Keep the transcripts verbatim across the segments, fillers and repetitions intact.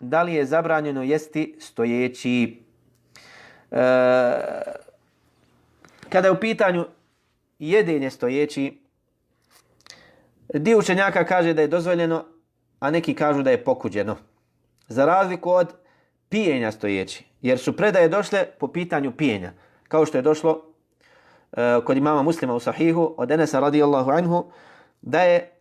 da li je zabranjeno jesti stojeći. E, kada je u pitanju jedenje stojeći, dio učenjaka kaže da je dozvoljeno, a neki kažu da je pokuđeno. Za razliku od pijenja stojeći, jer su predaje došle po pitanju pijenja, kao što je došlo uh, kod imama Muslima u Sahihu od Enesa radijallahu anhu, da je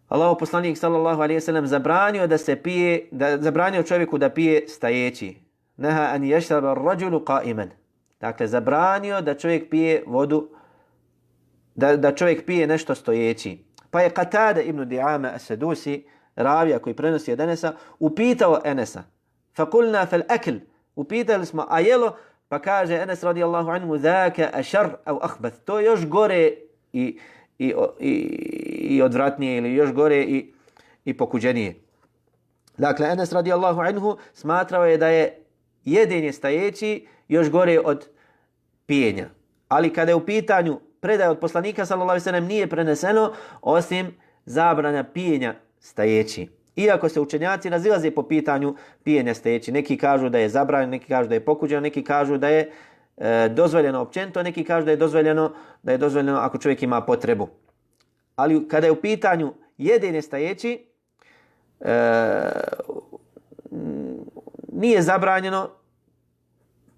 Allahov poslanik sallallahu alejhi ve sellem zabranio da se pije, da zabranio čovjeku da pije stajeći. Naha an yashraba ar-rajulu qa'iman. Dakle, zabranio da čovjek pije vodu, da, da čovjek pije nešto stojeći. Pa je Qatada ibn Di'ama as-Sadusi, ravija koji prenosi od Enesa, upitao Enesa. Fakulna fal akl. Upitali smo, a jelo? Pa kaže Enes radijallahu anhu, zaka ashar au akhbath. To je još gore i, i, i, i odvratnije, ili još gore i, i pokuđenije. Dakle, Enes radijallahu anhu smatrao je da je jedenje stajeći još gore od pijenja. Ali kada je u pitanju predaje od poslanika sallallahu alejhi ve sellem nije preneseno osim zabrana pijenja stajeći. Iako se učenjaci razilaze po pitanju pijenja stajeći. Neki kažu da je zabranjeno, neki kažu da je pokuđeno, neki kažu da je e, dozvoljeno općenito, neki kažu da je dozvoljeno da je dozvoljeno ako čovjek ima potrebu. Ali kada je u pitanju jedenje stajeći, e, nije zabranjeno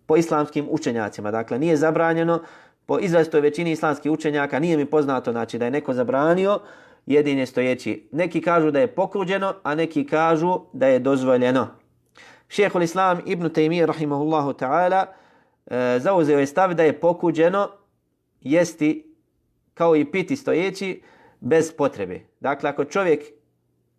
po islamskim učenjacima. Dakle, nije zabranjeno po izrazitoj većini islamskih učenjaka, nije mi poznato znači da je neko zabranio jedenje stojeći. Neki kažu da je pokuđeno, a neki kažu da je dozvoljeno. Šejhul Islam Ibn Taymije rahimahullahu ta'ala e, zauzeo je stav da je pokuđeno jesti kao i piti stojeći bez potrebe. Dakle, ako čovjek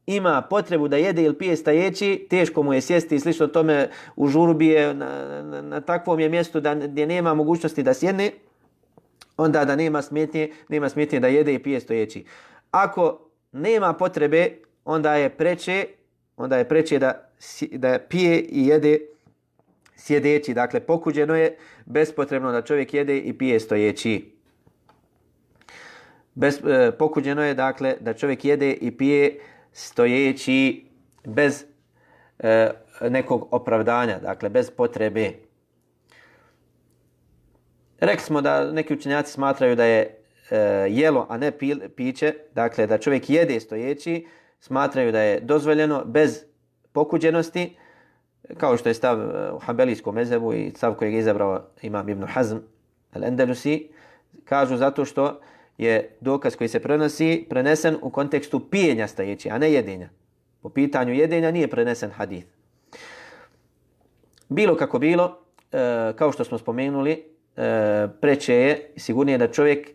ima potrebu da jede ili pije stajeći, teško mu je sjesti i slično tome u žurbi je na, na, na takvom je mjestu da, gdje nema mogućnosti da sjedne, onda da nema smetnje, nema smetnje da jede i pije stojeći. Ako nema potrebe, onda je preče, onda je preče da, da pije i jede sjedeći. Dakle, pokuđeno je bespotrebno da čovjek jede i pije stojeći. Bez, e, pokuđeno je dakle da čovjek jede i pije stojeći bez e, nekog opravdanja, dakle bez potrebe. Rekli smo da neki učenjaci smatraju da je e, jelo, a ne pi, piće, dakle da čovjek jede stojeći, smatraju da je dozvoljeno bez pokuđenosti, kao što je stav u Hanbelijskom mezhebu i stav kojeg je izabrao imam Ibn Hazm al-Andalusi, kažu zato što je dokaz koji se prenosi prenesen u kontekstu pijenja stajeći, a ne jedenja. Po pitanju jedenja nije prenesen hadith. Bilo kako bilo, e, kao što smo spomenuli, e, preče je sigurnije da čovjek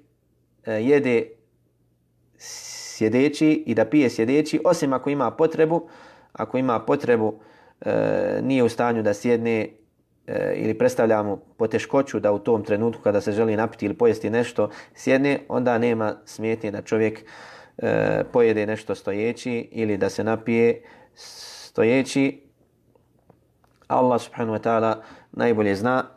e, jede sjedeći i da pije sjedeći, osim ako ima potrebu, ako ima potrebu e, nije u stanju da sjedne e, ili predstavlja mu poteškoću da u tom trenutku kada se želi napiti ili pojesti nešto sjedne, onda nema smetnje da čovjek e, pojede nešto stojeći ili da se napije stojeći. Allah subhanahu wa ta'ala najbolje zna.